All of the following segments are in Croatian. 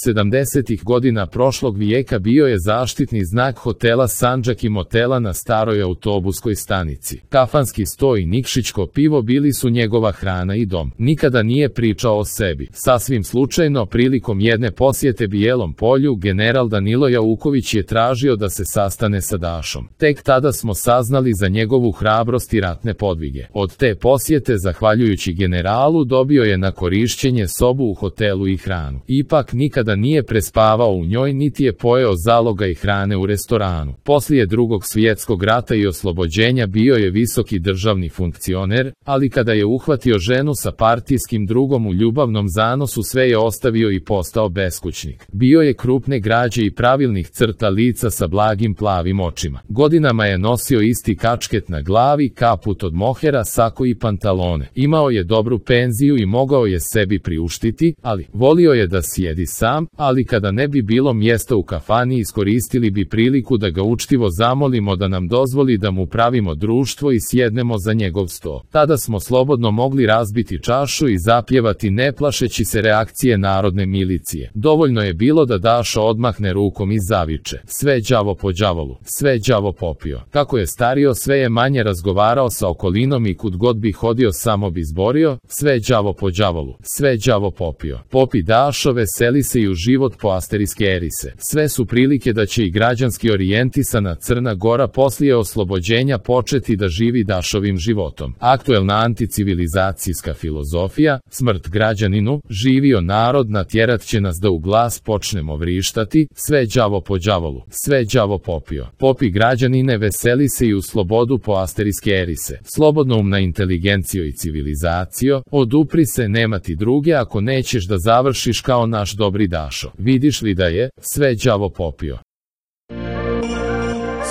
70. godina prošlog vijeka bio je zaštitni znak hotela Sandžak i motela na staroj autobuskoj stanici. Kafanski sto i Nikšićko pivo bili su njegova hrana i dom. Nikada nije pričao o sebi. Sasvim slučajno, prilikom jedne posjete Bijelom polju, general Danilo Jauković je tražio da se sastane sa Dašom. Tek tada smo saznali za njegovu hrabrost i ratne podvige. Od te posjete, zahvaljujući generalu, dobio je na korišćenje sobu u hotelu i hranu. Ipak nikada nije prespavao u njoj, niti je pojeo zaloga i hrane u restoranu. Poslije Drugog svjetskog rata i oslobođenja bio je visoki državni funkcioner, ali kada je uhvatio ženu sa partijskim drugom u ljubavnom zanosu, sve je ostavio i postao beskućnik. Bio je krupne građe i pravilnih crta lica sa blagim plavim očima. Godinama je nosio isti kačket na glavi, kaput od mohera, sako i pantalone. Imao je dobru penziju i mogao je sebi priuštiti, ali volio je da sjedi sam, ali kada ne bi bilo mjesta u kafani, iskoristili bi priliku da ga učtivo zamolimo da nam dozvoli da mu pravimo društvo i sjednemo za njegov sto. Tada smo slobodno mogli razbiti čašu i zapjevati ne plašeći se reakcije narodne milicije. Dovoljno je bilo da Dašo odmahne rukom i zaviče: sve đavo po đavolu, sve đavo popio. Kako je stario, sve je manje razgovarao sa okolinom i kud god bi hodio samo bi zborio: sve đavo po đavolu, sve đavo popio. Popi Dašo, veseli se i u život po asterijske erise. Sve su prilike da će i građanski orijentisana Crna Gora poslije oslobođenja početi da živi Dašovim životom. Aktuelna anticivilizacijska filozofija: smrt građaninu, živio narod, natjerat će nas da u glas počnemo vrištati: sve đavo po đavolu, sve đavo popio. Popi građanine, veseli se i u slobodu po asterijske erise. Slobodnoumna inteligencijo i civilizacijo, odupri se, nema ti druge ako nećeš da završiš kao naš dobri Dašo. Vidiš li da je sve đavo popio?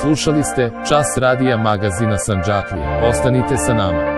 Slušali ste Čas radija magazina Sandžaklija. Ostanite sa nama.